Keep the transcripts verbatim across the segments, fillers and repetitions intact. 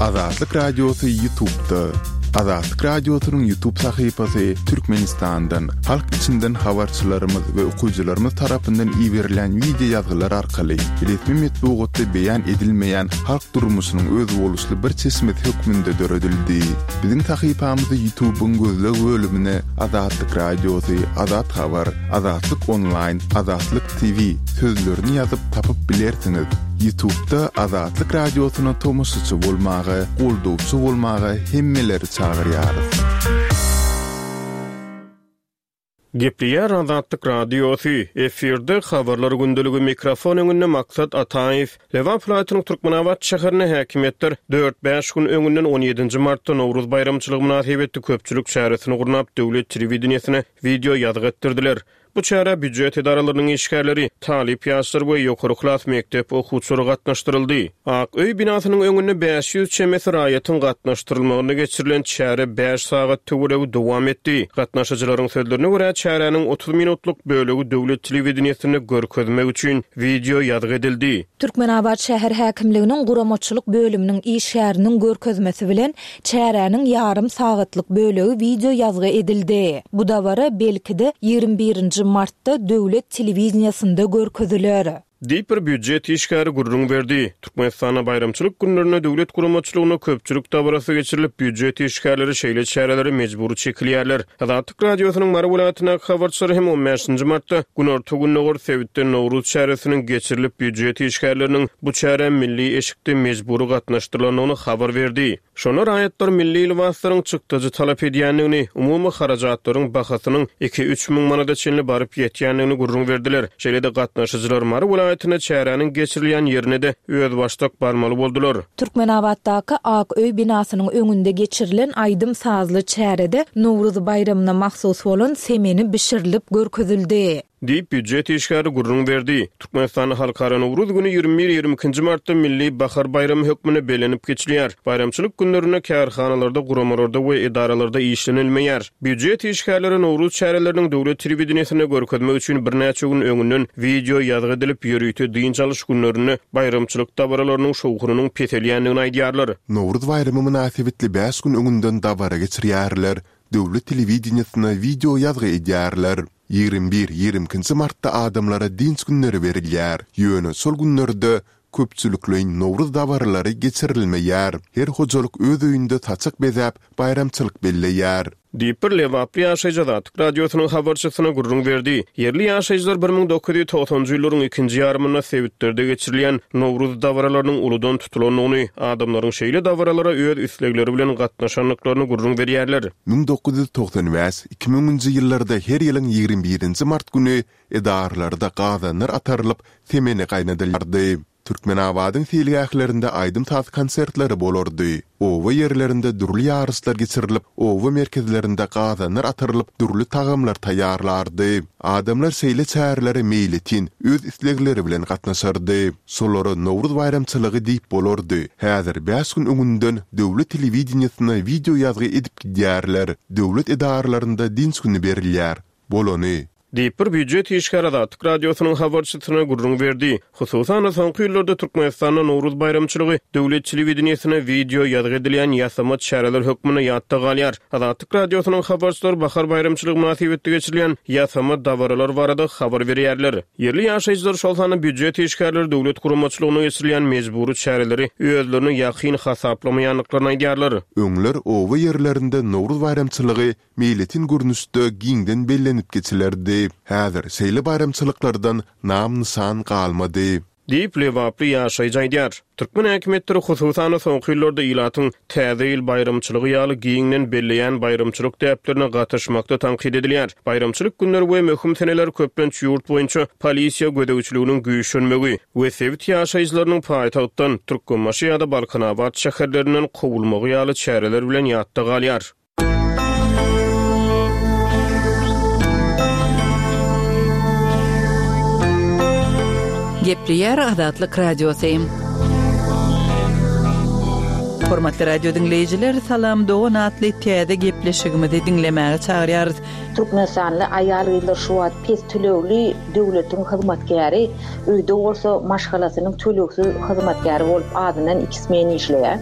Azatlyk Radiosy YouTube'da. Azatlyk Radiosynyň YouTube sahypasy Türkmenistandan, halk içinden habarçylarymyz we okyjylarymyz tarapyndan iberilen wideo ýazgylar arkaly resmi metbugatda beýan edilmeýän halk durmuşynyň özboluşly bir çeşmesi hökmünde döredildi. Biziň sahypamyzy YouTube'yň gözleg bölümine Azatlyk Radiosy, Azat Habar, Azatlyk Online, Azatlyk TV sözlerini ýazyp tapyp bilersiňiz. YouTube'da Azatlyk Radiosyna tomaşaçy bolmaga, goldawçy bolmaga hemmeleri çagyrýarys. Gepleýär Azatlyk Radiosy, efirde habarlar gündeligi mikrofon öňünde Maksat Ataýew. Lebap welaýatynyň Türkmenabat şäherinde häkimiýetler dört-bäş gün öňünden on ýedinji martda Nowruz baýramçylygy mynasybetli köpçülik çäresini gurnap, döwlet telewideniýesine wideo ýazgy etdirdiler. Bu çärä býujet edaralarynyň işgärleri, talyp ýaşlar we ýokary klas mekdep okuwçylary gatnaşdyryldy. Ak öý binasynyň öňünde bäş ýüz çemesi raýatyň gatnaşdyrylmagyna geçirilen çäre bäş sagat töweregi dowam etdi. Gatnaşyjylaryň sözlerine görä çäräniň otuz minutlyk bölegi döwlet telewideniýesinde görkezmek üçin wideo ýazgy edildi. Türkmenabat şäher häkimliginiň guramaçylyk bölüminiň işgäriniň görkezmesi bilen çäräniň ýarym sagatlyk bölegi wideo ýazgy edildi. Bu dabara belki de ýigrimi birinji martda döwlet telewideniýesinde görkeziler. Diýip bir býujet işgäri gürrüň berdi. Türkmenistanda baýramçylyk günlerinde döwlet guramaçylygyna köpçülik dabarasy geçirilip, býujet işgärleri şeýle çärelere mejbury çekilýärler. Azatlyk Radiosynyň Mary welaýatyndaky habarçylary hem on bäşinji martda Günorta-Gündogar sebitde Nowruz çäresiniň geçirilip, býujet işgärleriniň bu çärä milli eşikde mejbury gatnaşdyrylandygyny habar berdi. Şonda raýatlar milli lybaslaryň çykdajy talap edýändigini, umumy harajatlaryň bahasynyň iki-üç müň manada çenli baryp ýetýändigini gürrüň berdiler. Şeýle-de gatnaşyjylar Mary welaýatynda çäräniň geçirilýän ýerine de özbaşdak barmaly boldular. Türkmenabatdaky Ak öý binasynyň öňünde geçirilen aýdym-sazly çärede Nowruz baýramyna mahsus bolan semeni bişirilip görkezildi. Diýip býujet işgäri gürrüň berdi. Türkmenistanda Halkara Nowruz günü ýigrimi bir ýigrimi ikinji martda Milli Bahar baýramy hökmünde bellenip geçilýär. Baýramçylyk günlerinde kärhanalarda, guramalarda we edaralarda işlenilmeýär. Býujet işgärleri Nowruz çäreleriniň döwlet telewideniýesinde görkezmek üçin birnäçe gün öňünden wideo ýazgy edilip, ýörite dynç alyş günlerinde baýramçylyk dabaralarynyň şowhunynyň peselýändigini aýdýarlar. Nowruz baýramy mynasybetli bäş gün öňünden dabara geçirýärler. Döwlet telewideniýesine wideo ýazgy edýärler. Ýigrimi bir ýigrimi ikinji martda adamlara dynç günleri berilýär. Ýöne şol günlerde köpçülikleýin Nowruz dabaralary geçirilmeýär. Her hojalyk öz öýünde saçak bezäp, baýramçylyk belleýär. Diýip bir Lebaply ýaşaýjy Azatlyk Radiosynyň habarçysyna gürrüň berdi. Ýerli ýaşaýjylar bir müň dokuz ýüz togsanjy ýyllaryň ikinji ýarymynda sebitlerde geçirilýän Nowruz dabaralarynyň uludan tutulandygyny, adamlaryň şeýle dabaralara öz islegleri bilen gatnaşandyklaryny gürrüň berýärler. Müň dokuz ýüz togsan bäş, iki müňünji ýyllarda her ýylyň ýigrimi birinji mart güni edaralarda gazanlar atarylyp, semeni gaýnadylýardy. Türkmenabadyň seýilgählerinde aýdym-saz konsertleri bolardy. Oba ýerlerinde dürli ýaryşlar geçirilip, oba merkezlerinde gazanlar atarylyp, dürli tagamlar taýýarlardy. Adamlar şeýle çärelere meýletin öz islegleri bilen gatnaşardy. Şolara Nowruz baýramçylygy diýip bolardy. Häzir bäş gün öňünden döwlet telewideniýesine wideo ýazgy edip gidýärler. Döwlet edaralarynda dynç güni berilýär. Bolany. Diýip bir býujet işgäri Azatlyk Radiosynyň habarçysyna gürrüň berdi. Hususan-da soňky ýyllarda Türkmenistanda Nowruz baýramçylygy döwlet telewideniýesine wideo ýazgy edilýän ýasama çäreler hökmünde ýatda galýar. Azatlyk Radiosynyň habarçylary bahar baýramçylygy mynasybetli geçirilýän ýasama dabaralar barada habar berýärler. Ýerli ýaşaýjylar, şol sanda býujet işgärleri döwlet guramaçylygyna geçirilýän mejbury çäreleri özlerine ýakyn hasaplamaýandyklaryny aýdýarlar. Öňler oba ýerlerinde Nowruz baýramçylygy meýletin görnüşde giňden bellenip geçilerdi. Häzir şeýle baýramçylyklardan nam-nyşan galmady. Diýip Lebaply ýaşaýjy aýdýar. Türkmen häkimiýetleri hususan-da soňky ýyllarda ilatyň Täze ýyl baýramçylygy ýaly giňden belleýän baýramçylyk däplerine gatyşmakda tankyt edilýär. Baýramçylyk günleri we möhüm seneler köplenç ýurt boýunça polisiýa gözegçiliginiň güýçlenmegi we sebit ýaşaýjylarynyň paýtagtdan Türkmenbaşy ýa-da Balkanabat şäherlerinden kowulmagy ýaly çäreler bilen ýatda galýar. Gepleýär Azatlyk Radiosy. Hormatly radio dinleýjiler, Salam Dogan atly täze gepleşigimizi diňlemäge çagyrýarys. Türkmenistanly aýal gyzlar şu wagt pes tölegli döwletiň hyzmatkäri, öýde bolsa maşgalasynyň tölegsiz hyzmatkäri bolup azyndan iki smen işleýär.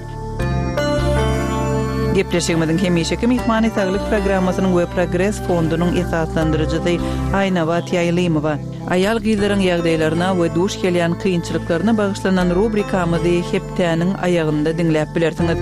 Gepleşigimiziň hemişeki myhmany saglyk programmasynyň we Progres fondunyň esaslandyryjysy Aýnabat Ýaýlymowa. Aýal gyzlaryň ýagdaýlaryna we duş gelýän kynçylyklaryna bagyşlanan rubrikamyzy hepdäniň aýagynda diňläp bilersiňiz.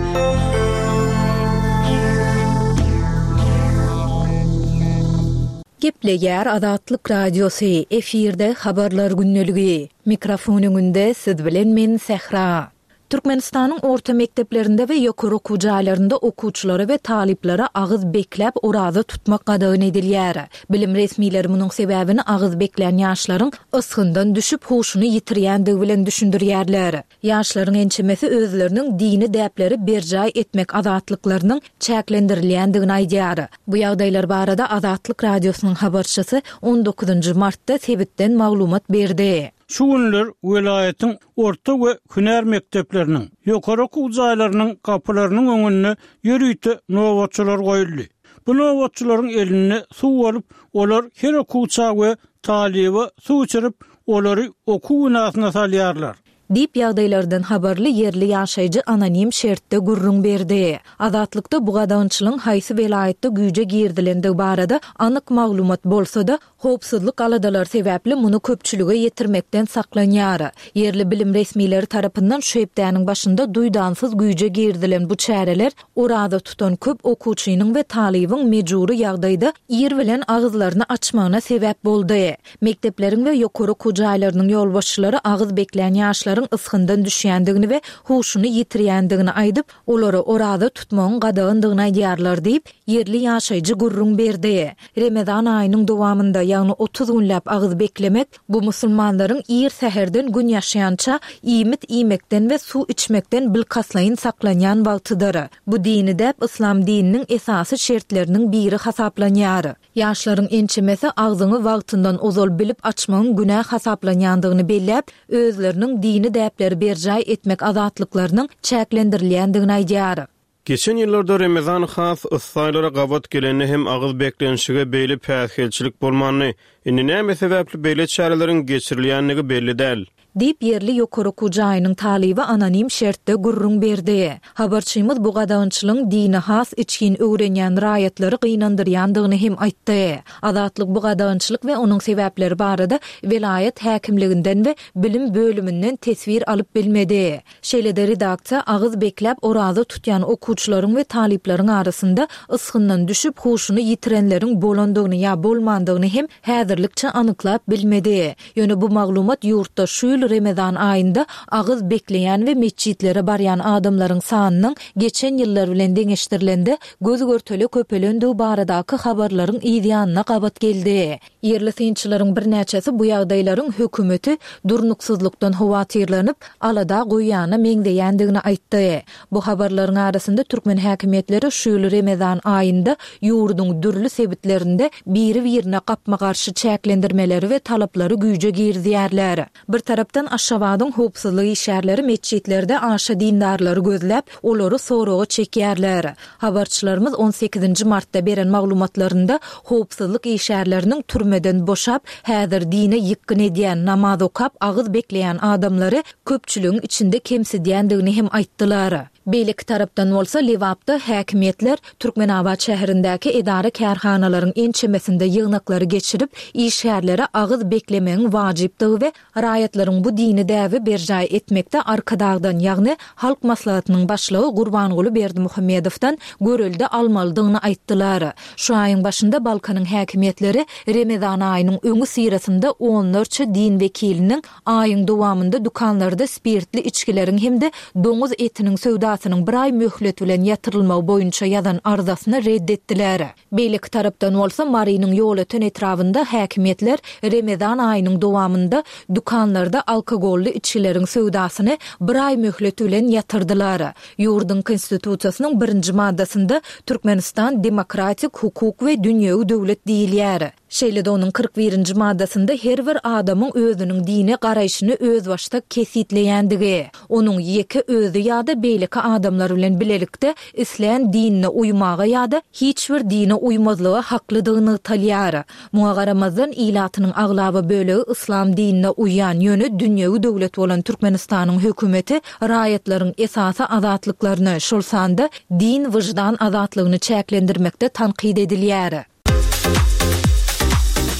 Gepleýär Azatlyk Radiosy, efirde habarlar gündeligi. Mikrofon öňünde siz bilen men Sähra. Türkmenistanyň orta mekdeplerinde we ýokary okuw jaýlarynda okuwçylara we talyplara agyz bekläp oraza tutmak gadagan edilýär. Bilim resmileri munuň sebäbini agyz beklän ýaşlaryň ysgyndan düşüp huşuny ýitirýändigi bilen düşündirýärler. Ýaşlaryň ençemesi özleriniň dini däpleri berjaý etmek azatlyklarynyň çäklendirilýändigini aýdýar. Bu ýagdaýlar barada Azatlyk Radiosynyň habarçysy on dokuzynjy martda sebitden maglumat berdi. Şu günler welaýatyň orta we hünär mekdepleriniň, ýokary okuw jaýlarynyň gapylarynyň öňünde ýörite nobatçylar goýuldy. Bu nobatçylaryň elinde suw bolup, olar her okuwça we talyba suw içirip, olary okuw binasyna salýarlar. Diýip ýagdaýlardan habarly ýerli ýaşaýjy anonim şertde gürrüň berdi. Azatlykda bu gadagançylygyň haýsy welaýatda güýje girdilendigi barada anyk maglumat bolsa-da, howpsuzlyk aladalary sebäpli muny köpçülige ýetirmekden saklanýar. Ýerli bilim resmileri tarapyndan şu hepdäniň başynda duýdansyz güýje girdilen bu çäreler oraza tutan köp okuwçynyň we talybyň mejbury ýagdaýda ir bilen agyzlaryny açmagyna sebäp boldy. Mekdepleriň we ýokary okuw jaýlarynyň ýolbaşçylary agyz beklän ýaşlaryň ysgyndan düşýändigini we huşuny ýitirýändigini aýdyp, olara oraza tutmagyň gadagandygyny aýdýarlar diýip, ýerli ýaşaýjy gürrüň berdi. Remezan aýynyň dowamynda, ýagny otuz günläp agyz beklemek, bu musulmanlaryň ir säherden gün ýaşaýança iýmit iýmekden we suw içmekden bilkastlaýyn saklanýan wagtydyr. Bu dini däp yslam dininiň esasy şertleriniň biri hasaplanýar. Ýaşlaryň ençemesi agzyňy wagtyndan ozal bilip açmagyň günä hasaplanýandygyny belläp, özleriniň dini däpleri berjaý etmek azatlyklarynyň çäklendirilýändigini aýdýar. Geçen ýyllarda Remezan has yssaýlara gabat gelende hem agyz beklenişige beýle päsgelçilik bolmandy. Indi näme sebäpli beýle çäreleriň geçirilýändigi belli däl. Diýip ýerli ýokary okuw jaýynyň talyby anonim şertde gürrüň berdi. Habarçymyz bu gadagançylygyň dini has içgin öwrenýän raýatlary gynandyrýandygyny hem aýtdy. Azatlyk bu gadagançylyk we onuň sebäpleri barada welaýat häkimliginden we bilim bölüminden teswir alyp bilmedi. Şeýle-de redaksiýa agyz bekläp oraza tutýan okuwçylaryň we talyplaryň arasynda ysgyndan düşüp huşuny ýitirenleriň bolandygyny ýa bolmandygyny hem häzirlikçe anyklap bilmedi. Ýöne bu maglumat ýurtda şu ýyl Remezan aýynda agyz bekleýän we metjitlere barýan adamlaryň sanynyň geçen ýyllar bilen deňeşdirilende göz görtele köpelendigi baradaky habarlaryň ýanyna gabat geldi. Ýerli synçylaryň birnäçesi bu ýagdaýlaryň hökümeti durnuksyzlykdan howatyrlanyp, alada goýýana meňzeýändigini aýtdy. Bu habarlaryň arasynda türkmen häkimiýetleri şu ýyl Remezan aýynda ýurduň dürli sebitlerinde biri-birine gapma-garşy çäklendirmeleri we talaplary güýje girizýärler. Bir tarapdan Aşgabadyň howpsuzlyk işgärleri metjitlerde aşa dindarlary gözläp, olary soraga çekýärler. Habarçylarymyz on sekizinji martda beren maglumatlarynda howpsuzlyk işgärleriniň türmeden boşap, häzir dine ýykgyn edýän, namaz okap, agyz bekleýän adamlary köpçüligiň içinde kemsidýändigini hem aýtdylar. Beýleki tarapdan bolsa Lebapda häkimiýetler Türkmenabat şäherindäki edara kärhanalaryň ençemesinde ýygnaklary geçirip, işgärlere agyz beklemegiň wajypdygy we raýatlaryň bu dini däbi berjaý etmekde Arkadagdan, ýagny Halk Maslahatynyň başlygy Gurbanguly Berdimuhamedowdan görelde almalydygyny aýtdylar. Şu aýyň başynda Balkanyň häkimiýetleri Remezan aýynyň öňi syrasynda onlarça din wekiliniň aýyň dowamynda dükanlarda spirtli içgileriň hem-de doňuz etiniň söwdasynyň bir aý möhlet bilen ýatyrylmagy boýunça ýazan arzasyny reddetdiler. Beýleki tarapdan bolsa Marynyň Ýolöten etrabynda häkimiýetler Remezan aýynyň dowamynda dükanlarda alkogolly içgileriň söwdasyny bir aý möhlet bilen ýatyrdylar. Ýurduň konstitusiýasynyň birinji maddasynda Türkmenistan demokratik hukuk we dünýewi döwlet diýilýär. Şeýle-de onuň kyrk birinji maddasynda her bir adamyň özüniň dine garaýşyny özbaşdak kesgitleýändigi, onuň ýeke özi ýa-da beýleki adamlar bilen bilelikde islän dinine uýmaga ýa-da hiç bir dine uýmazlyga haklydygy nygtalýar. Muňa garamazdan, ilatynyň aglaba bölegi yslam dinine uýýan, ýöne dünýewi döwlet bolan Türkmenistanyň hökümeti raýatlaryň esasy azatlyklaryny, şol sanda din-wyždan azatlygyny çäklendirmekde tankyt edilýär.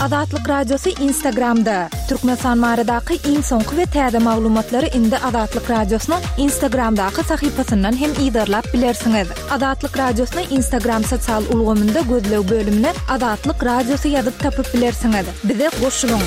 Azatlyk Radiosy Instagramda, Türkmenistan baradaky iň soňky we täze maglumatlary indi Azatlyk Radiosynyň Instagramdaky sahypasyndan hem yzarlap bilersiňiz. Azatlyk Radiosyny Instagram sosial ulgamynda gözleg bölümine Azatlyk Radiosy ýazyp tapyp bilersiňiz. Bize goşulyň!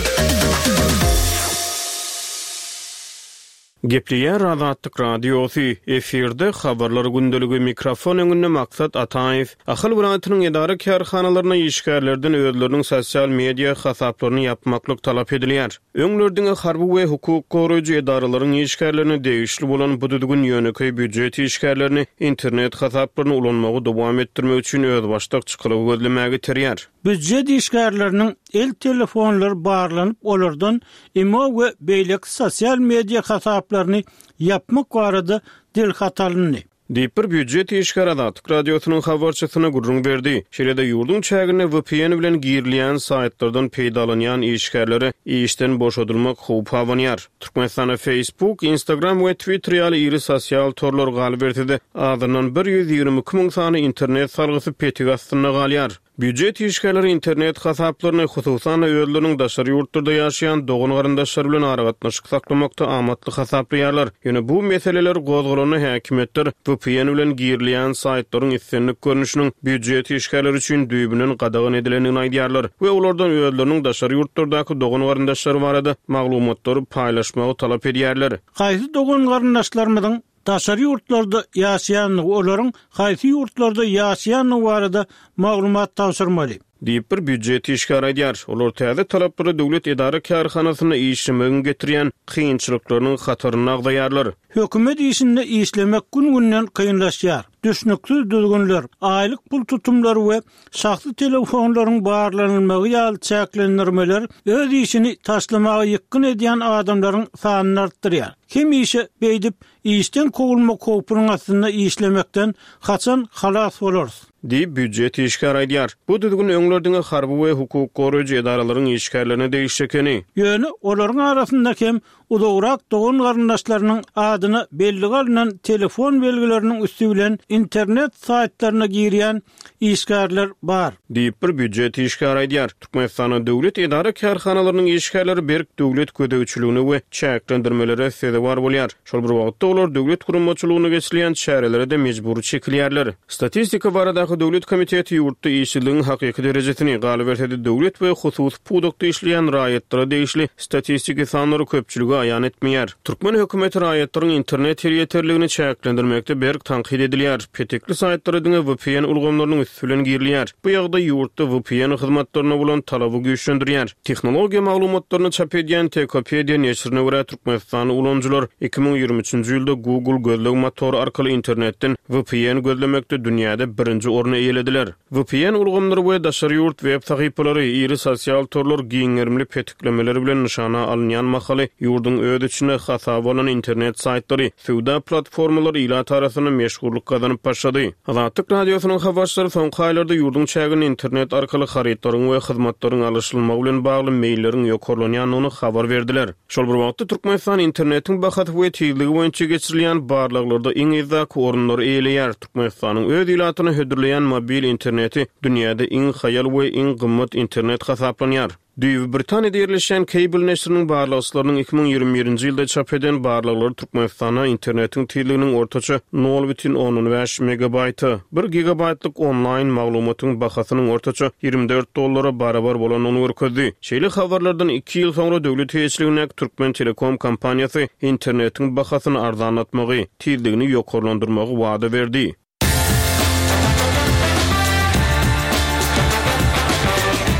Gepleýär Azatlyk Radiosy, efirde Habarlar gündeligi, mikrofon öňünde Maksat Ataýew. Ahal welaýatynyň edara-kärhanalaryna işgärlerden özleriniň sosial media hasaplaryny ýapmaklyk talap edilýär. Öňler diňe harby we hukuk goraýjy edaralaryň işgärlerine degişli bolan bu düzgün ýönekeý býujet işgärlerini internet hasaplaryny ulanmagy dowam etdirmek üçin özbaşdak çykalga gözlemäge iterýär. Býujet işgärleriniň el telefonlary barlanyp, olardan imo we beýleki sosial media hasaplaryny ýapmak barada dilhat alyndy. Diýip, bir býujet işgäri Azatlyk Radiosynyň habarçysyna gürrüň berdi. Şeýle-de, ýurduň çäginde V P N bilen girilýän saýtlardan peýdalanýan işgärlere işden boşadylmak howpy abanýar. Türkmenistanda Facebook, Instagram we Twitter ýaly iri sosial torlar, galyberse-de, azyndan bir ýüz ýigrimi iki müň sany internet salgysy petik astynda galýar. Býujet işgärleri internet hasaplaryny, hususan-da, özleriniň daşary ýurtlarda ýaşaýan dogan-garyndaşlary bilen aragatnaşyk saklamakda amatly hasaplaýarlar. Ýöne bu meseleler gozgalanda häkimiýetler V P N bilen girilýän saýtlaryň islendik görnüşiniň býujet işgärleri üçin düýbünden gadagan edilendigini aýdýarlar we olardan özleriniň daşary ýurtlardaky dogan-garyndaşlary barada maglumatlary paýlaşmagy talap edýärler. Haýsy dogan-garyndaşlarymyzyň daşary ýurtlarda ýaşaýandygy, olaryň haýsy ýurtlarda ýaşaýandygy barada maglumat tabşyrmaly. Diýip, bir býujet işgäri aýdýar. Olar täze talaplary döwlet edara-kärhanasynda işlemegiň getirýän kynçylyklarynyň hatarynda agzaýarlar. Hökümet işinde işlemek gün-günden kynlaşýar. Düşnüksiz düzgünler, aýlyk pul tutumlary we şahsy telefonlaryň barlanylmagy ýaly çäklendirmeler öz işini taşlamaga ýykgyn edýän adamlaryň sanyny artdyrýar. Hemişe beýdip işden kowulmak howpunyň astynda işlemekden haçan halas bolarys? Diýip, býujet işgäri aýdýar. Bu düzgün öňler diňe harby we hukuk goraýjy edaralaryň işgärlerine degişli ekeni. Ýöne olaryň arasynda hem uzagrak dogan-garyndaşlarynyň adyna bellige alnan telefon belgileriniň üsti bilen internet saýtlaryna girýän işgärler bar. Diýip, bir býujet işgäri aýdýar. Türkmenistanda döwlet edara-kärhanalarynyň işgärleri berk döwlet gözegçiligine we çäklendirmelere sezewar bolýar. Şol bir wagtda olar döwlet guramaçylygynda geçirilýän çärelere-de mejbury çekilýärler. Statistika baradaky döwlet komiteti ýurtda işsizligiň hakyky derejesini, galyberse-de döwlet we hususy pudakda işleýän raýatlara degişli statistiki sanlary köpçülige aýan etmeýär. Türkmen hökümeti raýatlaryň internet elýeterligini çäklendirmekde berk tankyt edilýär. Petekli saýtlara diňe V P N ulgamlarynyň üsti bilen girilýär. Bu ýagdaý ýurtda V P N hyzmatlaryna bolan talaby güýçlendirýär. Tehnologiýa maglumatlaryny çap edýän Techopedia neşirine görä, türkmenistanly ulanyjylar iki müň ýigrimi üçünji ýylda Google gözleg motory arkaly internetden V P N gözlemekde dünýäde birinji orny eýelediler. V P N ulgamlary we daşary ýurt web sahypalary, iri sosial torlar giň gerimli petiklemeler bilen nyşana alynýan mahaly, ýurduň öz içinde hasaba alan internet saýtlary, söwda platformalary ilat arasynda meşhurlyk gazanyp başlady. Azatlyk Radiosynyň habarçylary soňky aýlarda ýurduň çäginde internet arkaly harytlaryň we hyzmatlaryň alyşylmagy bilen bagly meýilleriň ýokarlanýandygyny habar berdiler. Şol bir wagtda Türkmenistan internetiň bahasy we tizligi boýunça geçirilýän barlaglarda iň yzdaky orunlary eýeleýär. Türkmenistanyň öz ilatyna hödürleýän mobil interneti dünýäde iň haýal we iň gymmat internet hasaplanýar. Düýbi Britaniýada ýerleşýän Cable neşiriniň barlagçylarynyň iki müň ýigrimi birinji ýylda çap eden barlaglary Türkmenistanda internetiň tizliginiň ortaça nol bütin ondan bäş megabaýta, bir gigabaýtlyk onlaýn maglumatyň bahasynyň ortaça ýigrimi dört dollara barabar bolandygyny görkezdi. Şeýle habarlardan iki ýyl soňra döwlet eýeçiligindäki Türkmen Telekom kompaniýasy internetiň bahasyny arzanlatmagy, tizligini ýokarlandyrmagy wada berdi.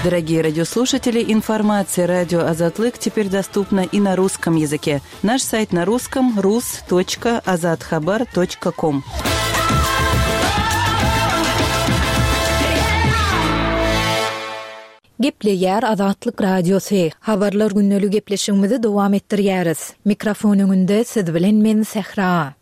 Дорогие радиослушатели, информация радио Азатлык теперь доступна и на русском языке. Наш сайт на русском rus точка azathabar точка com. Gepleýär Azatlyk Radiosy. Habarlar gündelik gepleşigimizi dowam etdirýäris. Mikrofon öňünde siz bilen men Sähra.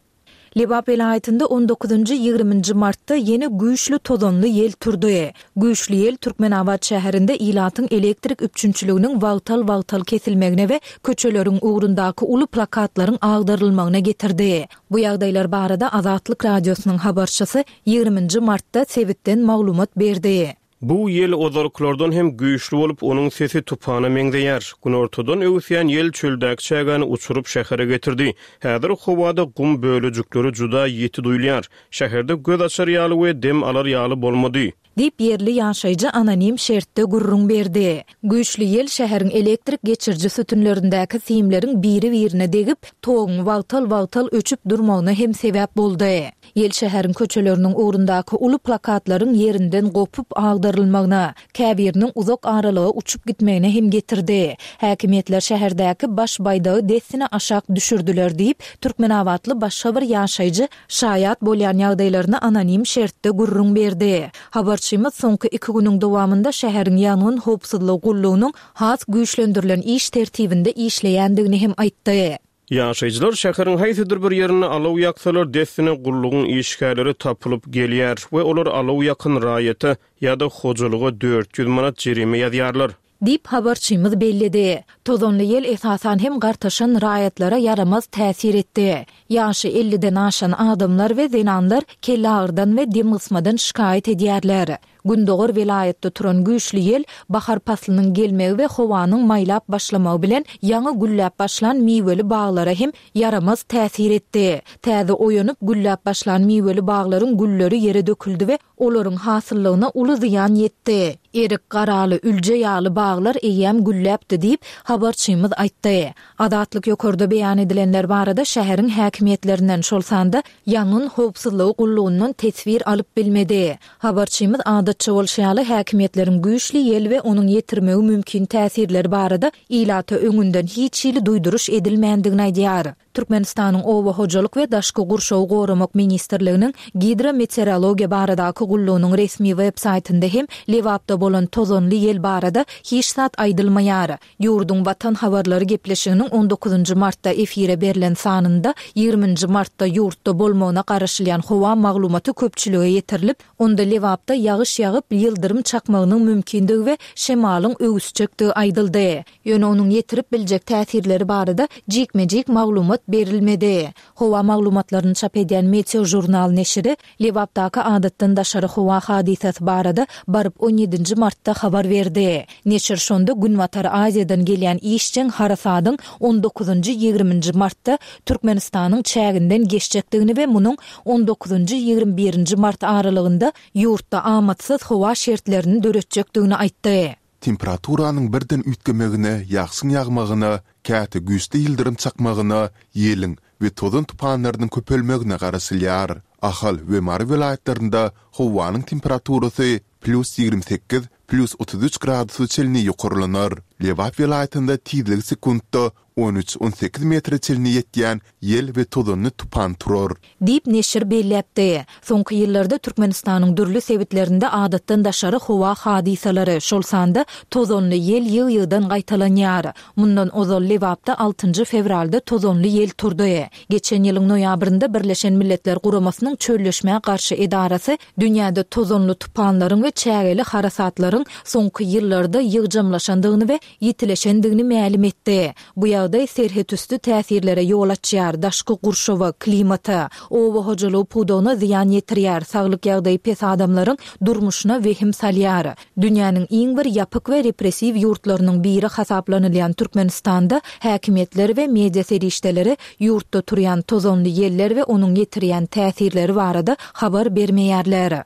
Lebap welaýatynda on dokuzynjy, ýigriminji martda ýene güýçli tozanly ýel turdy. Güýçli ýel Türkmenabat şäherinde ilatyň elektrik üpjünçiliginiň wagtal-wagtal kesilmegine we köçeleriň ugrundaky uly plakatlaryň agdarylmagyna getirdi. Bu ýagdaýlar barada Azatlyk Radiosynyň habarçysy ýigriminji martda sebitden maglumat berdi. Bu ýel ozalkylardan hem güýçli bolup, onuň sesi tupana meňzeýär. Günortadan öwüsýän ýel çöldäki çägäni uçuryp şähere getirdi. Häzir howada gum bölejikleri juda ýiti duýulýar. Şäherde göz açar ýaly we dem alar ýaly bolmady. Diýip ýerli ýaşaýjy anonim şertde gürrüň berdi. Güýçli ýel şäheriň elektrik geçiriji sütünlerindäki simleriň biri-birine degip, toguň wagtal-wagtal öçüp durmagyna hem sebäp boldy. Ýel şäheriň köçeleriniň ugrundaky uly plakatlaryň ýerinden gopup agdarylmagyna, käbiriniň uzak aralyga uçup gitmegine hem getirdi. Häkimiýetler şäherdäki baş baýdagy dessine aşak düşürdiler diýip, Türkmenabatly başga bir ýaşaýjy şaýat bolýan ýagdaýlaryny anonim şertde gürrüň berdi. Habarçymyz soňky iki günüň dowamynda şäheriň ýangyn howpsuzlygy gullugynyň has güýçlendirilen iş tertibinde işleýändigini hem aýtdy. Ýaşaýjylar şäheriň haýsydyr bir ýerinde alaw ýaksalar dessine gullugyň işgärleri tapylyp gelýär we olar alaw ýakyn raýata ýa-da hojalyga dört ýüz manat jerime ýazýarlar. Diýip habarçymyz belledi. Tozanly ýel esasan hem gartaşan raýatlara ýaramaz täsir etdi. Ýaşy elliden aşan adamlar we zenanlar kellagyrdan we demgysmadan şikaýat edýärler. Gündogar welaýatda turan güýçli ýel bahar paslynyň gelmegi we howanyň maýlap başlamagy bilen ýaňy gülläp başlan miweli baglara hem ýaramaz täsir etdi. Täze oýanyp gülläp başlan miweli baglaryň gülleri ýere döküldi we olaryň hasyllygyna uly zyýan ýetdi. Erik, garaly, ülje ýaly baglar eýýäm gülläpdi diýip habarçymyz aýtdy. Azatlyk ýokarda beýan edilenler barada şäheriň häkimiýetlerinden, şol sanda ýangyn howpsuzlygy gullugyndan teswir alyp bilmedi. Habarçymyz adatça bolşy ýaly häkimiýetleriň güýçli ýel we onuň ýetirmegi mümkin täsirleri barada ilata öňünden hiç hili duýduryş edilmändigini aýdýar. Türkmenistanyň Oba hojalyk we daşky gurşawy goramak ministrliginiň gidrometeorologiýa baradaky gullugynyň resmi web saýtynda hem Lebapda bolan tozanly ýel barada hiç zat aýdylmaýar. Ýurduň Watan habarlary gepleşiginiň on dokuzynjy martda efire berlen sanynda ýigriminji martda ýurtda bolmagyna garaşylýan howa maglumaty köpçülige ýetirilip, onda Lebapda ýagyş ýagyp, ýyldyrym çakmagynyň mümkindigi we şemalyň öwüsjekdigi aýdyldy. Ýöne onuň ýetirip biljek täsirleri barada jikme-jik maglumat berilmedi. Howa maglumatlaryny çap edýän Meteo Journal neşiri Lebapdaky adatdan daşary howa hadysasy barada baryp on ýedinji martda habar berdi. Neşir şonda Günbatar Aziýadan gelýän işjeň harasadyň on dokuzynjy ýigriminji martda Türkmenistanyň çäginden geçjekdigini we munuň on dokuzynjy ýigrimi birinji mart aralygynda ýurtda amatsyz howa şertlerini döretjekdigini aýtdy. Temperaturanyň birden üýtgemegine, ýagşyň ýagmagyna, käte güýçli ýyldyrym çakmagyna, ýeliň we tozan tupanlarynyň köpelmegine garaşylýar. Ahal we Mary welaýatlarynda howanyň temperaturasy plus ýigrimi sekiz, plus otuz üç gradusa çenli ýokarlanar. Lebap welaýatynda tizligi sekuntda on üç, on sekiz metre çenli ýetýän ýel we tozanly tupan turar. Diýip neşir belläpdi. Soňky ýyllarda Türkmenistanyň dürli sebitlerinde adatdan daşary howa hadysalary, şol sanda tozanly ýel ýygy-ýygydan gaýtalanýar. Mundan ozal Lebapda altynjy fewralda tozanly ýel turdy. Geçen ýylyň noýabrynda Birleşen Milletler Guramasynyň çölleşmä garşy edarasy dünýäde tozanly tupanlaryň we çägeli harasatlaryň soňky ýyllarda ýygjamlaşandygyny we ýitileşendigini mälim etdi. Bu ýagdaý serhetüsti täsirlere ýol açýar, daşky gurşawa, klimata, oba hojalygy pudagyna zyýan ýetirýär, saglyk ýagdaýy pes adamlaryň durmuşyna wehim salýar. Dünýäniň iň bir ýapyk we repressiw ýurtlarynyň biri hasaplanylýan Türkmenistanda häkimiýetler we media serişdeleri ýurtda turýan tozanly ýeller we onuň ýetirýän täsirleri barada habar bermeýärler.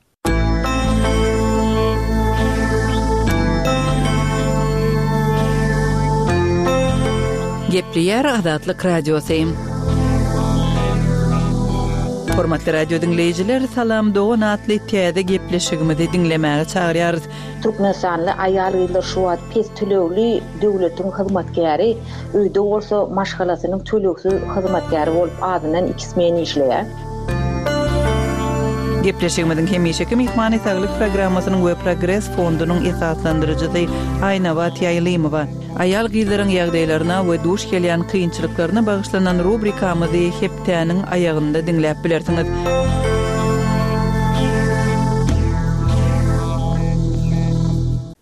Gepleýär Azatlyk Radiosy. Hormatly radio diňleýjiler, Salam Dogan atly täze gepleşigimizi diňlemäge çagyrýarys. Türkmenistanly aýal-gyzlar şu wagt pes tölegli döwletiň hyzmatkäri, öýde bolsa maşgalasynyň tölegsiz hyzmatkäri bolup azyndan iki smen işleýär. Gepleşigimiziň hemişeki myhmany Saglyk programmasynyň we Progres fondunyň esaslandyryjysy Aýnabat Ýaýlymowa. Aýal-gyzlaryň ýagdaýlaryna we duş gelýän kynçylyklaryna bagyşlanan rubrikamyzy hepdäniň aýagynda diňläp bilersiňiz.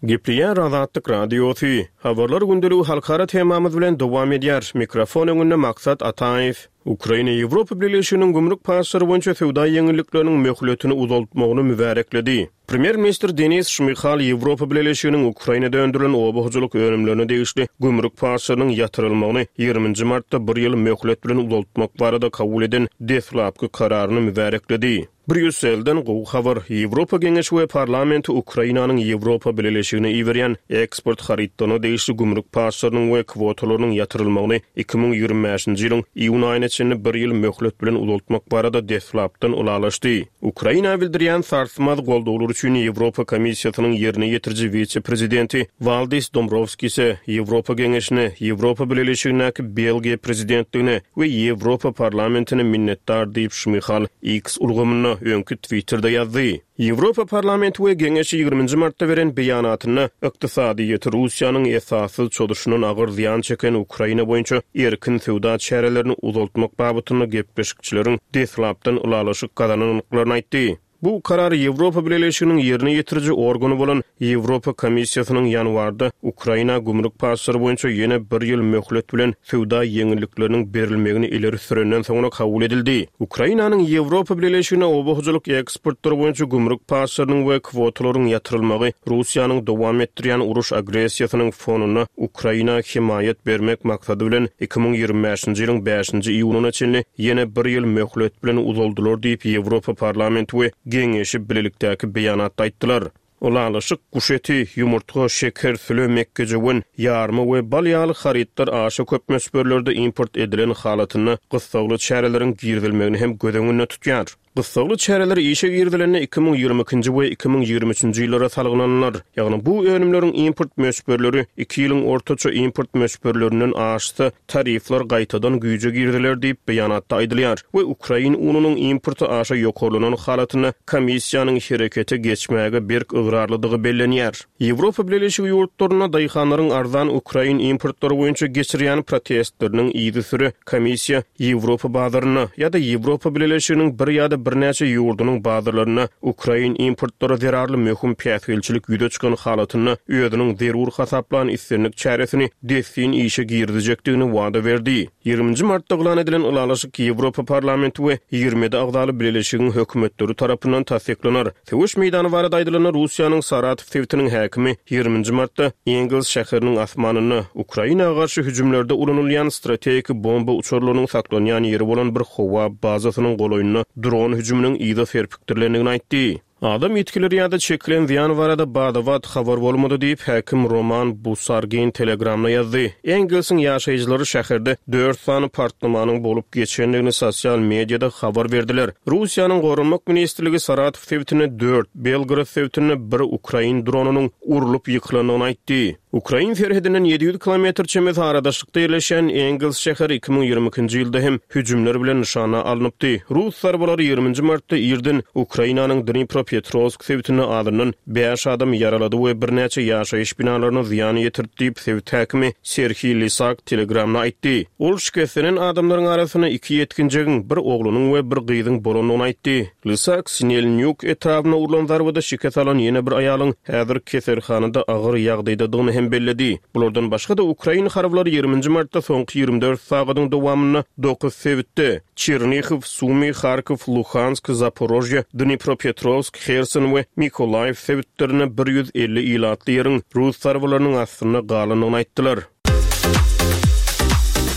Gepleýär Azatlyk Radiosy. Habarlar gündeligi halkara temamyz bilen dowam edýär. Mikrofon öňünde Maksat Ataýew. Ukraina Ýewropa Bileleşiginiň gümrük paçlary boýunça söwda ýeňillikleriniň möhletini uzaltmagyny mübärekledi. Premýer-ministr Denis Şmyhal Ýewropa Bileleşiginiň Ukrainada öndürilen oba hojalyk önümlerine degişli gümrük paçlarynyň ýatyrylmagyny ýigriminji martda bir ýyl möhlet bilen uzaltmak barada kabul eden deslapky kararyny mübärekledi. Brýusselden gowy habar, Ýewropa Geňeşi we Parlamenti Ukrainanyň Ýewropa Bileleşigine iberýän eksport harytlaryna degişli gümrük paçlarynyň we kwotalarynyň ýatyrylmagyny iki müň ýigrimi bäşinji ýylyň iýun aýyna çenli bir ýyl möhlet bilen uzaltmak barada deslapdan ylalaşdy. Ukraina bildirýän sarsmaz goldawlar üçin Ýewropa Komissiýasynyň ýerine ýetiriji wise-prezidenti Waldis Dombrowskise, Ýewropa Geňeşine, Ýewropa Bileleşigindäki Belgiýa prezidentligine we Ýewropa Parlamentine minnetdar diýip Şmyhal X ulgamynda, öňki Twitterde ýazdy. Ýewropa Parlamenti we Geňeşi ýigriminji martda beren beýanatynda ykdysadyýeti Russiýanyň esassyz çozuşyndan agyr zyýan çeken Ukraina boýunça erkin söwda çärelerini uzaltmak babatynda gepleşikçileriň deslapdan ylalaşyk gazanandyklaryny aýtdy. Bu karar Ýewropa Bileleşiginiň ýerine ýetiriji organy bolan Ýewropa Komissiýasynyň ýanwarda Ukraina gümrük paçlary boýunça ýene bir ýyl möhlet bilen söwda ýeňillikleriniň berilmegini ileri sürenden soňra kabul edildi. Ukrainanyň Ýewropa Bileleşigine oba hojalyk eksportlary boýunça gümrük paçlarynyň we kwotalaryň ýatyrylmagy Russiýanyň dowam etdirýän uruş agressiýasynyň fonunda Ukraina hemaýat bermek maksady bilen iki müň ýigrimi bäşinji ýylyň bäşinji iýunyna çenli ýene bir ýyl möhlet bilen uzaldylar diýip Ýewropa Parlamenti we Geňeşi bilelikdäki beýanatda aýtdylar. Ylalaşyk guş eti, ýumurtga, şeker, süle, mekgejöwen, ýarma we bal ýaly harytlar aşa köp möçberlerde import edilen halatynda gyssagly çäreleriň girizilmegini hem göz öňünde tutýar. Gyssagly çäreler işe girizilende iki müň ýigrimi ikinji we iki müň ýigrimi üçünji ýyllara salgylanylar. Ýagny bu önümleriň import möçberleri iki ýylyň ortaça import möçberlerinden aşsa, tarifler gaýtadan güýje giriziler diýip beýanatda aýdylýar we ukrain ununyň importy aşa ýokarlanan halatynda komissiýanyň herekete geçmäge berk ygrarlydygy bellenýär. Ýewropa Bileleşigi ýurtlarynda daýhanlaryň arzan ukrain importlary boýunça geçirýän protestleriniň yzysüre komissiýa Ýewropa bazarynda ýa-da Ýewropa Bileleşiginiň bir ýa-da birnäçe ýurdunyň bazarlarynda ukrain importlary zerarly möhüm päsgelçilik ýüze çykan halatynda özüniň zerur hasaplan islendik çäresini dessin işe girizjekdigini wada berdi. Ýigriminji martda yglan edilen ylalaşyk Ýewropa Parlamenti we ýigrimi ýedi agzaly bileleşigiň hökümetleri tarapyndan tassyklanar. Söweş meýdany barada aýdylanda, Russiýanyň Saratow sebitiniň häkimi ýigriminji martda Engels şäheriniň asmanynda Ukraina garşy hüjümlerde ulanylýan strategik bomba uçarlarynyň saklanýan ýeri bolan bir howa bazasynyň golaýynda dron hüjüminiň yza serpikdirilendigini aýtdy. Adam ýitgileri ýa-da çekilen zyýan barada bada-bat habar bolmady diýip, häkim Roman Busargin Telegramda ýazdy. Engelsiň ýaşaýjylary şäherde dört sany partlamanyň bolup geçendigini sosial mediada habar berdiler. Russiýanyň Goranmak ministrligi Saratow sebitinde dört, Belgorod sebitinde bir ukrain dronynyň urlup ýykylandygyny aýtdy. Ukrain serhedinden ýedi ýüz kilometr çemesi aradaşlykda ýerleşýän Engels şäheri iki müň ýigrimi ikinji ýylda hem hüjümler bilen nyşana alnypdy. Rus zarbalary ýigriminji martda irden Ukrainanyň Dnipropetrowsk sebitinde azyndan bäş adamy ýaralady we birnäçe ýaşaýyş binalaryna zyýan ýetirdi diýip, sebit häkimi Serhiý Lisak Telegramda aýtdy. Ol şikeslenen adamlaryň arasynda iki ýetginjegiň, bir oglunyň we bir gyzyň bolandygyny aýtdy. Lysak Sinelnýuk etrabyna urlan zarbada şikes alan ýene bir aýalyň häzir keselhanada agyr ýagdaýdadygyny hem belledi. Bulardan başga-da, ukrain harbylary ýigriminji martda soňky ýigrimi dört sagadyň dowamynda dokuz sebitde, Çernihiw, Sumy, Harkow, Luhansk, Zaporožýe, Dnipropetrowsk, Herson we Mykolaýiw sebitlerinde bir ýüz elli ilatly ýeriň rus zarbalarynyn astynda galandygyny aýtdylar.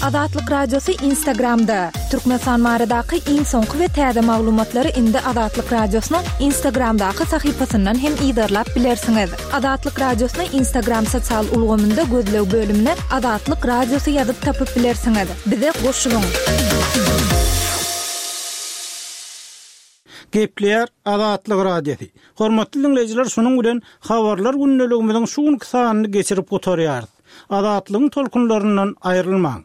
Azatlyk Radiosy Instagramda. Türkmenistan baradaky iň soňky we täze maglumatlary indi Azatlyk Radiosynyň Instagramdaky sahypasyndan hem yzarlap bilersiňiz. Azatlyk Radiosyny Instagram sosial ulgamynda gözleg bölümine Azatlyk Radiosy ýazyp tapyp bilersiňiz. Bize goşulyň! Gepleýär Azatlyk Radiosy. Hormatly diňleýjiler, şunuň bilen Habarlar gündeligimiziň şu günki sanyny geçirip gutarýarys. Azatlygyň tolkunlaryndan aýrylmaň.